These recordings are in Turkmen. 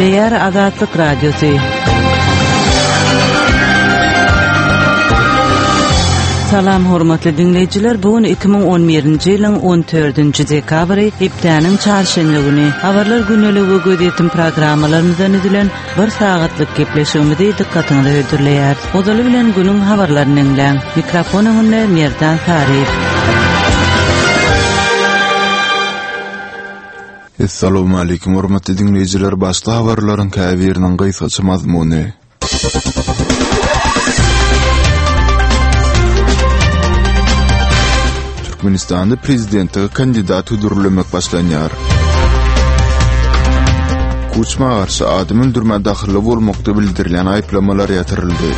Gepleýär Azatlyk Radiosy. Salam hormatly diňleýjiler, bu gün 2011-nji ýylyň 14-nji dekabry, hepdäniň çarşenbe güni. Habarlar gündeligi we gözýetim programmalarymyzdan düzülen bir sagatlyk gepleşigimizi dykgatyňyza hödürleýäris. Ozaly bilen günüň habarlaryny diňläň. Mikrofon öňünde Merdan Saryýew. Essalawmaleýkim hormatly diňleýjiler başda habarlaryň käbiriniň gysgaça mazmuny. Türkmenistanda prezidentlige kandidat hödürlemek başlanýar. Kuçma garşy adam öldürmä dahylly bolmakda bildirilýän aýyplamalar ýatyryldy.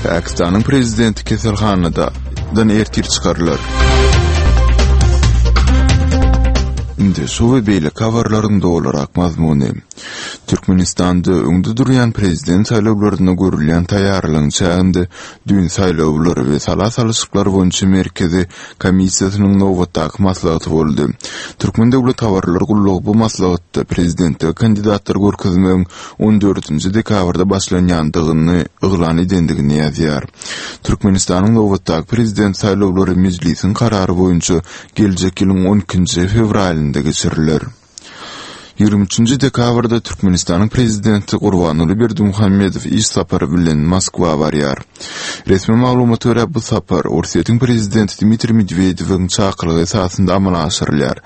Pakistanyň prezidenti keselhanada dan ertir çykarylar. Indi şu we beýleki habarlaryň dolurak mazmuny. Türkmenistanda öňde durýan prezident saýlawlaryna görülýän taýýarlygyň çäginde düýn Saýlawlar we sala salyşyklar boýunça merkezi komissiýasynyň nobatdaky maslahaty boldy. Türkmen döwlet habarlar gullugy bu maslahatda prezidentlige kandidatlary görkezmegiň on dördünji dekabrda başlanýandygyny yglan edendigini ýazýar. Türkmenistanyň nobatdaky prezident saýlawlary Mejlisiň karary boýunça geljek ýylyň on ikinji fewralynda geçiriler. 23 dekabrda Türkmenistanyň Prezidenti Gurbanguly Berdimuhamedow iş sapary bilen Moskwa barýar. Resmi maglumata görä, bu sapar Orsýetiň Prezidenti Dmitriý Medwedewiň çakylygy esasynda amala aşyrylýar.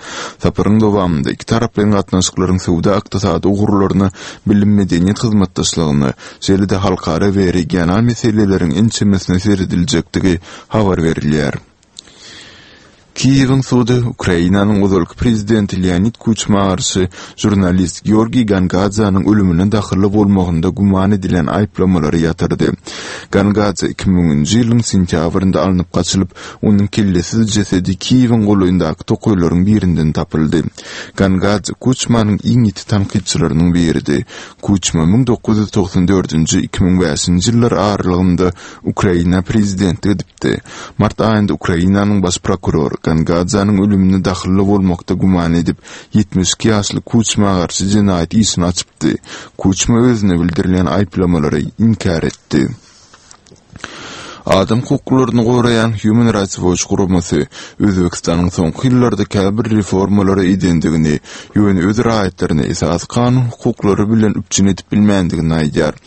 Saparyň dowamynda ikitaraplaýyn gatnaşyklaryň söwda-ykdysady ugurlaryna, bilim-medeniýet hyzmatdaşlygyna, şeýle-de halkara we regional meseleleriň ençemesine serediljekdigi habar berilýär. Kiýewiň sudy Ukrainanyň ozalky prezidenti Leonid Kuçma garşy žurnalist Georgiý Gangadzanyň ölümine dahylly bolmagynda güman edilýän aýyplamalary ýatyrdy. Gangadze 2000-nji ýylyň sentýabrynda alnyp gaçylyp, onuň kellesiz jesedi Kiýewiň golaýyndaky tokaýlaryň birinden tapyldy. Gangadze Kuçmanyň iň ýiti tankytçylarynyň biridi. Kuçma 1994-nji, 2005-nji ýyllar aralygynda Ukraina prezidentlik edipdi. Mart aýynda Ukrainanyň baş prokurory Gangadzanyň ölümine dahylly bolmakda güman edip, 72 ýaşly Kuçma garşy jenaýat işini açypdy. Kuçma özüne bildirilýän aýyplamalary inkär etdi. Adam hukuklaryny goraýan Human Rights Watch guramasy Özbegistanyň soňky ýyllarda käbir reformalary edendigini, ýöne öz raýatlaryny esasy kanun hukuklary bilen üpjün edip bilmändigini aýdýar.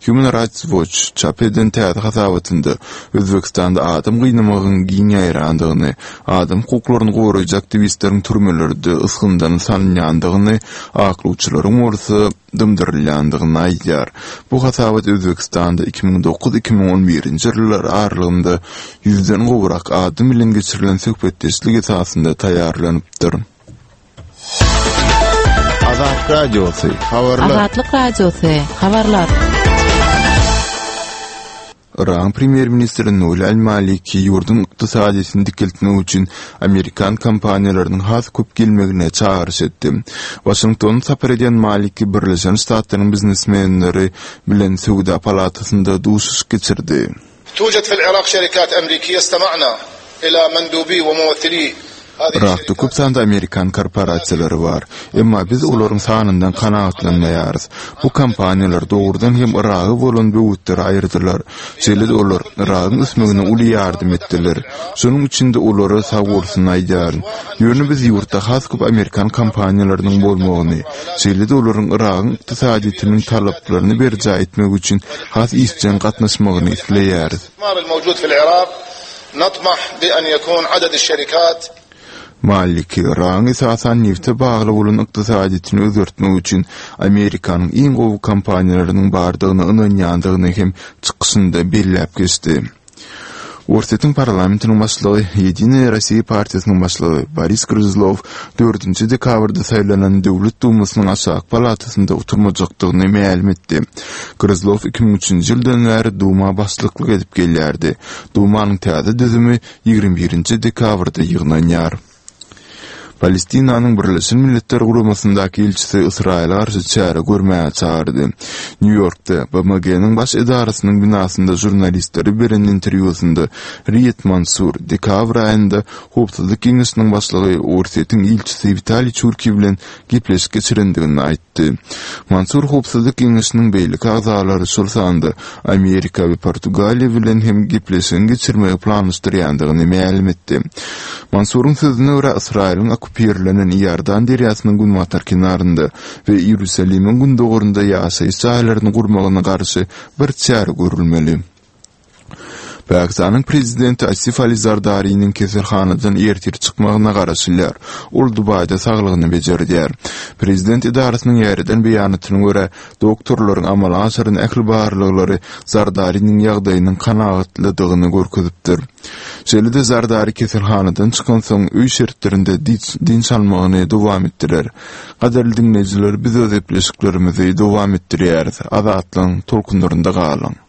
Human Rights Watch çap eden täze hasabatynda Özbegistanda adam gynamagyň giň ýaýrandygyny, adam hukuklaryny goraýjy aktiwistleriň türmelerde ysgyndan salynýandygyny, aklawçylaryň bolsa dymdyrylýandygyny aýdýar. Bu hasabat Özbegistanda 2009, 2011-nji ýyllar aralygynda ýüzden gowrak adam bilen geçirilen söhbetdeşlik esasynda taýýarlanypdyr. Azat Radiosy, habarlar. Azatlyk Radiosy, habarlar. Yragyň premýer-ministri Nuri al-Maliki ýurduň ykdysadyýetini dikeltmek üçin amerikan kompaniýalarynyň has köp gelmegine çagyryş etdi. Waşingtona sapar edýän Maliki Birleşen Ştatlaryň biznesmenleri bilen söwda palatasynda duşuşyk geçirdi. Tujet fil Irak şerikat emrikiye istema'na ila mendubi we mumethili Yrakda köp sanda amerikan korporasiýalary bar. Emma biz olaryň sanyndan kanagatlanmaýarys. Bu kompaniýalar dogrudan hem Yraga bolan böwetleri aýyrdylar. Şeýle-de olar Yragyň ösmegine uly ýardam etdiler. Şonuň üçin-de olara sagbolsun aýdýaryn. Ýöne biz ýurtda has köp amerikan kompaniýalarynyň bolmagyny, şeýle-de olaryň Yragyň ykdysadyýetiniň talaplaryny berjaý etmek üçin has işjeň gatnaşmagyny isleýäris. Maliki, Yragyň esasan nebte bagly bolan ykdysadyýetini özgertmek üçin Amerikanyň iň gowy kompaniýalarynyň bardygyna ynanýandygyny hem çykyşynda belläp geçdi. Orsýetiň parlamentiniň başlygy, Ýedinaýa Rossiýa partiýasynyň başlygy Boris Gryzlow dördünji dekabrda saýlanan Döwlet Dumasynyň aşaky palatasynda oturmajakdygyny mälim etdi. Gryzlow 2003-nji ýyldan bäri Duma başlyklyk edip gelýärdi. Dumanyň täze düzümi 21-nji dekabrda ýygnanýar. Palestinanyň Birleşen Milletler Guramasyndaky ilçisi Ysraýyla garşy çäre görmäge çagyrdy. Nýu-Ýorkda, BMG-niň baş edarasynyň binasynda žurnalistlere beren interwýusynda Riýad Mansur dekabr aýynda Howpsuzlyk Geňeşiniň başlygy Orsýetiň ilçisi Witaliý Çurkiý bilen gepleşik geçirendigini aýtdy. Mansur Howpsuzlyk Geňeşiniň beýleki agzalary, şol sanda Amerika we Portugaliýa bilen hem gepleşigiň geçirmegi planlaşdyrýandygyny mälim etdi. Mansuryň sözüne görä, Ysraýylyň okkupirlenen Iordan derýasynyň günbatar kenarynda we Iýerusalimiň gündogarynda ýaşaýyş jaýlaryny gurmagyna garşy bir çäre görülmeli. Pakistanyň prezidenti Asif Ali Zardariniň keselhanadan ertir çykmagyna garaşylýar. Ol Dubaýda saglygyny bejerdýär. Prezident edarasynyň ýaýradan beýanatyna görä, doktorlaryň amala aşyran ähli barlaglary Zardariniň ýagdaýynyň kanagatlydygyny görkezipdir. Şeýle-de Zardari keselhanadan çykansoň, öý şertlerinde dynç almagyny dowam etdirer. Gadyrly diňleýjiler, biz öz gepleşiklerimizi dowam etdirýäris. Azatlygyň tolkunlarynda galyň!